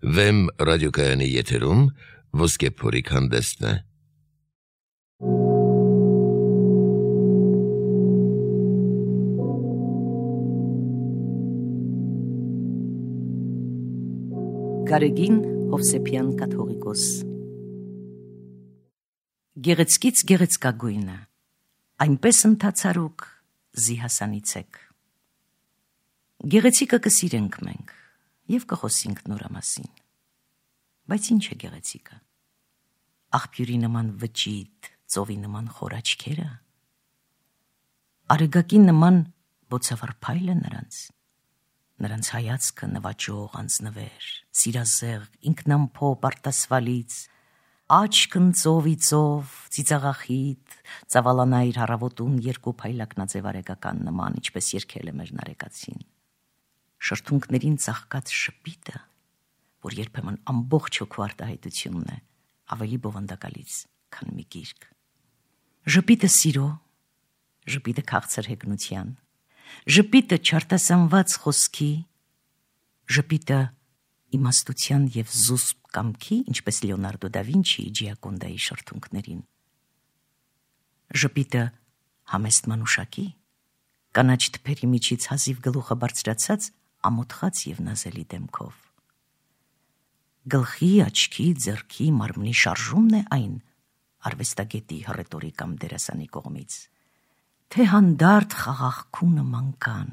Վեմ ռադիոկայանի եթերում ոսկե փորիկ հանդեսն է։ Գարեգին Հովսեփյան կաթողիկոս Գեղեցկից գեղեցկագույնը, այնպես ընթացարուկ զիհասանիցեք։ Գեղեցիկը կսիրենք մենք և կխոսինք նորա մասին, բայց ինչ է գեղեցիկը, աղբյուրի նման վճիտ, ծովի նման խոր աչքերը, արեգակի նման բոցավառ փայլը նրանց հայացքը նվաճող անձնվեր, սիրազեղ, ինքնամփոփ արտասվալից, աչքն ծովի ծով, ծիծաղախիտ, ծավալանայր հառավոտուն երկու փայլակնաձև արեգական նման, ինչպես երգել է մեր նարեկացին։ Շրթունքներին ծաղկած շպիտը, որ երբեմն ամբողջ հոգու արտահայտությունն է, ավելի բովանդակալից, քան մի գիրք։ Ժպիտը սիրո, ժպիտը քաղցր հեգնության, ժպիտը չարտասանված խոսքի, ժպիտը իմաստության և զուսպ կամքի, ինչպես Լեոնարդո դա Վինչիի Ջիակոնդայի շրթունքներին, ժպիտը համեստ մանուշակի, կանաչ թփերի միջից հազիվ գլուխը բարձրացած ամոթխած և նազելի դեմքով, գլխի, աչքի, ձեռքի, մարմնի շարժումն է այն արվեստագետի, հռետորի կամ դերասանի կողմից, թե հանդարտ խաղաղքունը մանկան,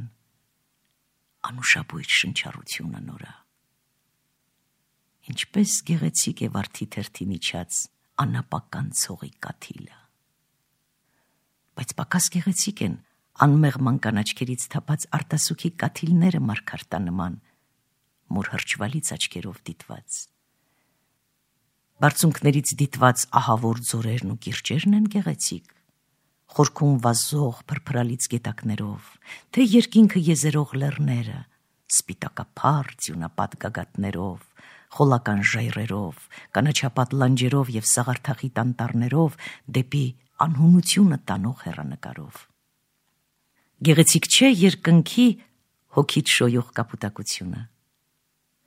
անուշաբույր շնչառությունը նորա։ Ինչպես գեղեցիկ է վարդի թերթի միջած անապական ցողի կաթիլը, բայց պակաս գեղեցիկ են անմեղման կանաչքերից թափած արտասուքի կաթիլները մարգարտանման, մոր հրճվալից աչքերով դիտված։ Բարձունքներից դիտված ահավոր ձորերն ու կիրճերն են գեղեցիկ, խորքում վազող փրփրալից գետակներով, թե երկինքը եզերող լեռները, սպիտակափառ ձյունապատ գագաթներով, խոլական ժայռերով, կանաչապատ լանջերով և սաղարթախիտ անտառներով դեպի անհունությունը տանող հեռանկարով։ Գեղեցիկ չէ երկնքի հոգիտ շոյող կապուտակությունը,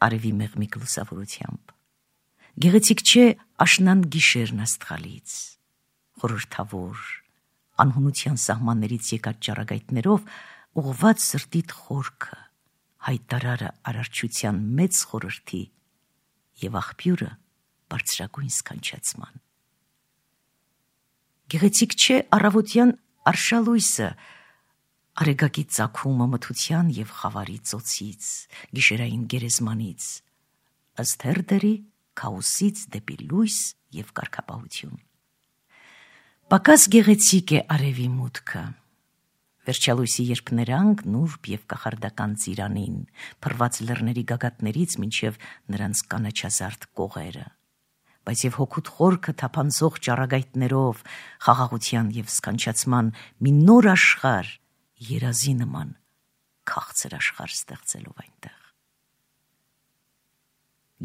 արևի մեղմիկ լուսավորությամբ, գեղեցիկ չէ աշնան գիշերն աստղալից, խորհրդավոր, անհունության սահմաններից եկած ճառագայթներով ուղղված սրտիդ խորքը, հայտարարը արարչության մեծ խորհրդի և աղբյուրը բարձրագույն սքանչացման։ Գեղեցիկ չէ առավոտյան արշալույսը, արեգակի ծագումը մթության և խավարի ծոցից, գիշերային գերեզմանից, ըստ հերդերի քաոսից դեպի լույս և կարգապահություն։ Պակաս գեղեցիկ է արևի մուտքը, վերջալույսի երփներանգ, նուրբ և կախարդական ծիրանին, փռված լեռների գագաթներից մինչև նրանց կանաչազարդ կողերը, բայց և հոգուտ խորքը թափանցող ճառագայթներով, խաղաղության և սքանչացման մի նոր աշխարհ, երազի նման քաղցր աշխարհ ստեղծելով այնտեղ։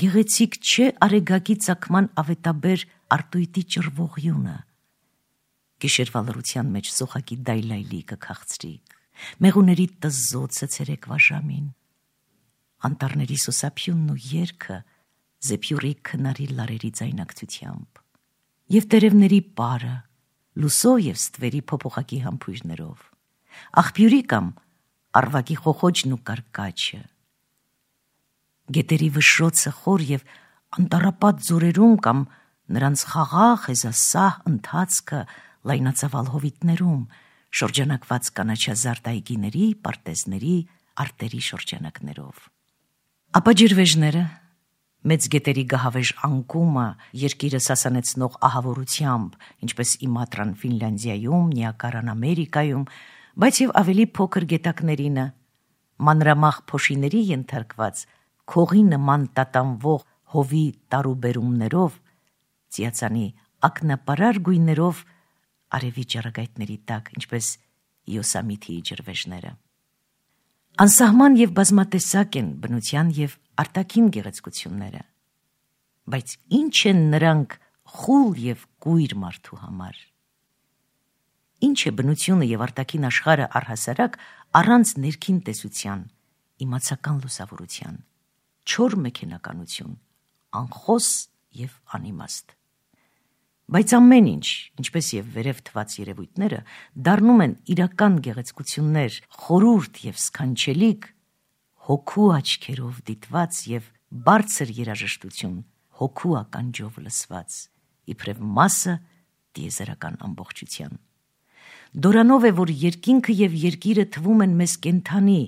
Գեղեցիկ չէ արեգակի ծագման ավետաբեր արտույտի ճռվողյունը, գիշերվա լռության մեջ սոխակի դայլայլիկը քաղցրիկ, մեղուների տզզոցը ցերեկվա ժամին, անտառների սոսափյունն ու երգը զեփյուռի քնարի լարերի ձայնակցությամբ, և տերևների պարը, լուսո և ստվերի փոփոխակի համբույրներով, աղբյուրի կամ առվակի խոխոջն ու կարկաչը, գետերի վշռոցը խոր և անտառապատ ձորերում կամ նրանց խաղաղ հեզասահ ընթացքը լայնածավալ հովիտներում, շրջանակված կանաչազարդ այգիների, պարտեզների, արտերի շրջանակներով։ Ապա ջրվեժները, մեծ գետերի գահավեժ անկումը, երկիրը սասանեցնող ահավորությամբ, ինչպես Իմատրան Ֆինլանդիայում, Նիագարան Ամերիկայում, բայց և ավելի փոքր գետակներինը, մանրամաղ փոշիների ենթարկված, քողի նման տատանվող հովի տարուբերումներով, ծիածանի ակնապարար գույներով արևի ճառագայթների տակ, ինչպես Յոսամիթիի ջրվեժները։ Անսահման և բազմատեսակ են բնության և արտաքին գեղեցկությունները, բայց ինչ են նրանք խուլ և կույր մարդու համար։ Ինչ է բնությունը և արտաքին աշխարհը առհասարակ առանց ներքին տեսության, իմացական լուսավորության, չոր մեքենականություն, անխոս և անիմաստ։ Բայց ամեն ինչ, ինչպես և վերև թված երևույթները, դառնում են իրական գեղեցկություններ, խորուրդ և սքանչելիք, հոգու աչքերով դիտված և բարձր երաժշտություն, հոգու ականջով լսված, իբրև մասը տիեզերական ամբողջության։ Դորանով է, որ երկինքը և երկիրը թվում են մեզ կենդանի,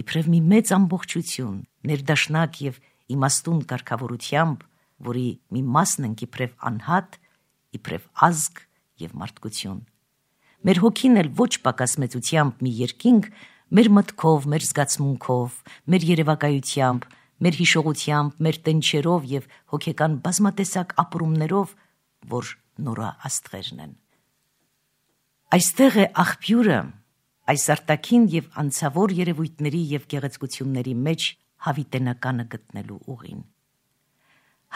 իբրև մի մեծ ամբողջություն, ներդաշնակ և իմաստուն կարգավորությամբ, որի մի մասն ենք իբրև անհատ, իբրև ազգ և մարդկություն։ Մեր հոգին էլ ոչ պակաս մեծությամբ մի երկինք, մեր մտքով, մեր զգացմունքով, մեր երևակայությամբ, մեր հիշողությամբ, մեր տնչերով և հոգեկան բազմատեսակ ապրումներով, որ նորա աստղերն են։ Այստեղ է աղբյուրը այս արտաքին և անցավոր երևույթների և գեղեցկությունների մեջ հավիտենականը գտնելու ուղին։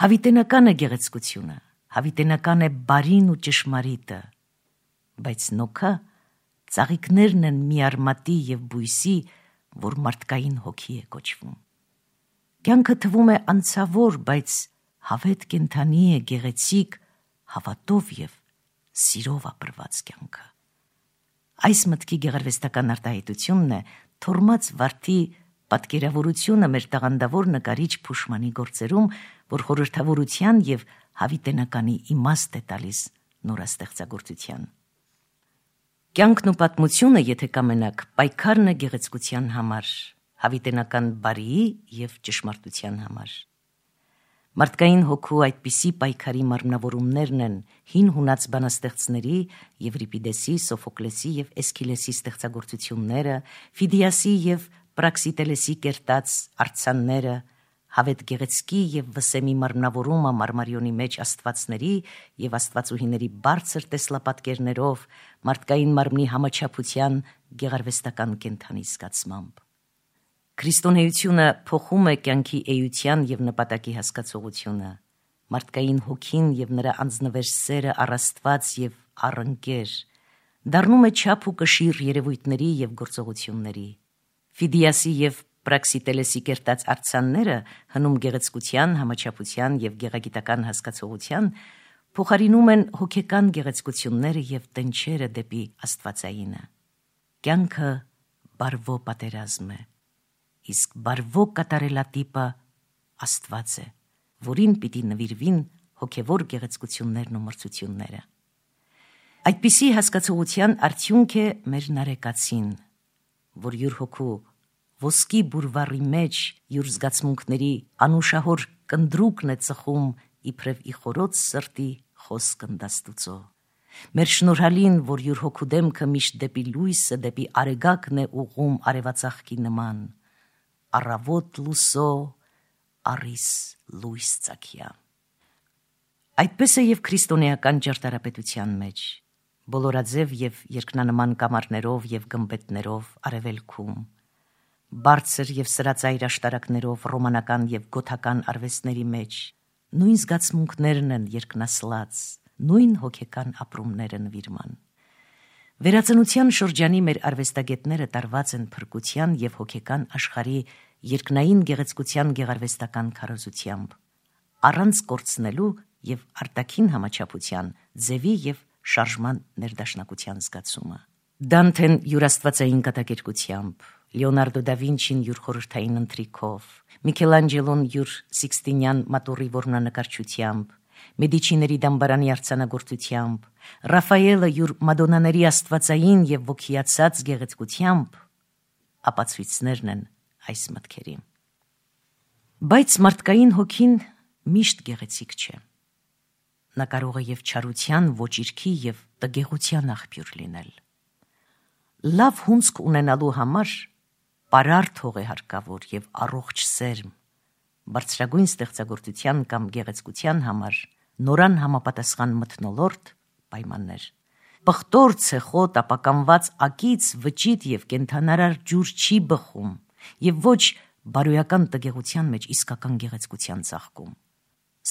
Հավիտենական է գեղեցկությունը, հավիտենական է բարին ու ճշմարիտը, բայց նոքա ծաղիկներն են մի արմատի և բույսի, որ մարդկային հոգի է կոչվում։ Կյանքը թվում է անցավոր, բայց հավետ կենդանի է գեղեցիկ, հավատով և սիրով ապրված կյանքը։ Այս մտքի գեղարվեստական արտահայտությունն է թորմած վարդի պատկերավորությունը մեր տաղանդավոր նկարիչ Փուշմանի գործերում, որ խորհրդավորության և հավիտենականի իմաստ է տալիս նորաստեղծագործության։ Կյանքն ու պատմությունը, եթե կամենաք, պայքարն է գեղեցկության համար, հավիտենական բարիի և ճշմարտության համար։ Մարդկային հոգու այդպիսի պայքարի մարմնավորումներն են հին հունաց բանաստեղծների Եվրիպիդեսի, Սոֆոկլեսի և Էսքիլեսի ստեղծագործությունները, Ֆիդիասի և Պրաքսիտելեսի կերտած արձանները, հավետ գեղեցկի և վսեմի մարմնավորումը Մարմարիոնի մեջ աստվածների և աստվածուհիների բարձր տեսլապատկերներով, մարդկային մարմնի համաչափության գեղարվեստական կենդանի զգացմամբ։ Քրիստոնեությունը փոխում է կյանքի էության և նպատակի հասկացողությունը, մարդկային հոգին և նրա անձնվեր սերը առ Աստված և առ ընկեր, դառնում է չափ ու կշիռ երևույթների և գործողությունների։ Ֆիդիասի և Պրաքսիտելեսի կերտած արձանները հնում գեղեցկության, համաչափության և գեղագիտական հասկացողության փոխարինում են հոգեկան գեղեցկությունները և տնչերը դեպի աստվածայինը։ Կյանքը բարվո պատերազմ է, իսկ բարվո կատարելատիպը Աստված է, որին պիտի նվիրվին հոգևոր գեղեցկություններն ու մրցությունները։ Այդպիսի հասկացողության արդյունք է մեր նարեկացին, որ յուր հոգու ոսկի բուրվառի մեջ յուր զգացմունքների անուշահոր կնդրուկն է ծխում իբրև ի խորոց սրտի խոսք ընդաստուծո։ Մեր շնորհալին, որ յուր հոգու դեմքը միշտ դեպի լույսը, դեպի արեգակն է ուղում արևածաղկի նման, առավոտ լուսո, առիս լույս ծագյա։ Այդպես է և քրիստոնեական ճարտարապետության մեջ, բոլորաձև և երկնանման կամարներով և գմբեթներով արևելքում, բարձր և սրածայր աշտարակներով ռոմանական և գոթական արվեստների մեջ, նույն զգացմունքներն են երկնասլաց, նույն հոգեկան ապրումները նվիրման։ Վերածնության շրջանի մեր արվեստագետները տարված են փրկության և հոգեկան աշխարհի երկնային գեղեցկության գեղարվեստական քարոզությամբ, առանց կորցնելու և արտաքին համաչափության, ձևի և շարժման ներդաշնակության զգացումը։ Դանթեն յուր աստվածային կատակերգությամբ, Լեոնարդո դա Վինչին յուր խորհրդային ընթրիքով, Միքելանջելոն յուր Սիքստինյան մատուռի որմնանկարչությամբ, Մեդիչիների դամբարանի արձանագործությամբ, Ռաֆայելը յուր մադոնաների աստվածային և ոգիացած գեղեցկությամբ ապացույցներն են այս մտքերի։ Բայց մարդկային հոգին միշտ գեղեցիկ չէ։ Նա կարող է և չարության, ոճիրքի և տգեղության աղբյուր լինել։ Լավ հունձք ունենալու համար պարարտ հող է հարկավոր և առողջ սերմ, բարձրագույն ստեղծագործության կամ գեղեցկության համար նորան համապատասխան մթնոլորտ, պայմաններ։ Պղտոր, ցեխոտ, ապականված ակից վճիտ և կենդանարար ջուր չի բխում և ոչ բարոյական տգեղության մեջ իսկական գեղեցկության ծաղկում։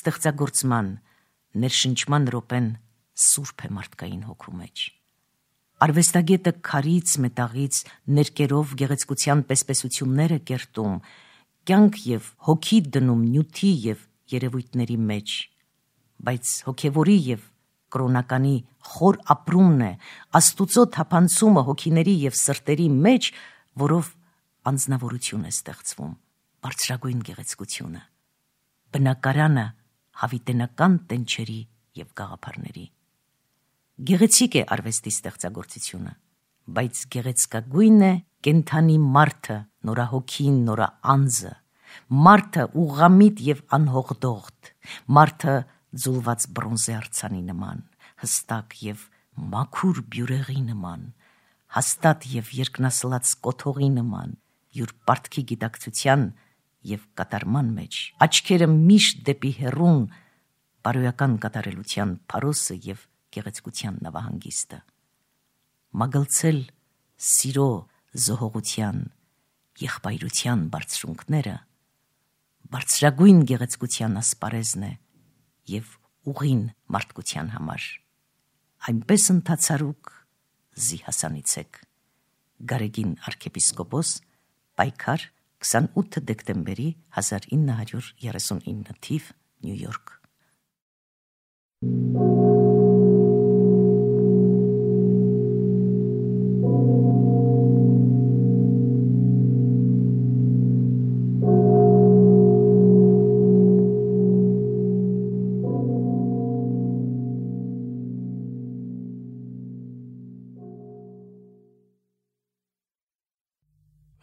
Ստեղծագործման, ներշնչման րոպեն սուրբ է մարդկային հոգու մեջ։ Արվեստագետը քարից, մետաղից, ներկերով գեղեցկության պեսպեսություններ է կերտում, կյանք եւ հոգի դնում նյութի եւ երևույթների մեջ, բայց հոգևորի եւ կրոնականի խոր ապրումն է, Աստուծո թափանցումը հոգիների եւ սրտերի մեջ, որով անձնավորություն է ստեղծվում, բարձրագույն գեղեցկությունը, բնակարանը հավիտենական տենչերի եւ գաղափարների։ Գեղեցիկ է արվեստի ստեղծագործությունը, բայց գեղեցկագույն է կենթանի մարդը, նորահոգին, նորաանձը, մարդը ուղղամիտ եւ անհողդողդ, մարդը ձուլված բրոնզե արձանի նման, հստակ եւ մաքուր բյուրեղի նման, հաստատ եւ երկնասլաց կոթողի նման, յուր պարտքի գիտակցության եւ կատարման մեջ, աչքերը միշտ դեպի հեռուն, բարոյական կատարելության փարոսը եւ գեղեցկության նավահանգիստը, մագլցել սիրո զոհողության, եղբայրության բարձրունքները, բարձրագույն գեղեցկության ասպարեզն է եւ ուղին մարդկության համար, այնպես ընթացարուկ զի հասանիցեք, Գարեգին arczepiskopos, պայքար 28 դեկտեմբերի 1939 թիվ, Նյու Յորք։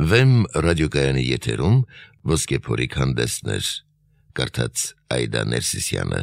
Վեմ ռադիոկայանի եթերում ոսկե փորիկ հանդեսներ, կարդաց Այդա Ներսիսյանը։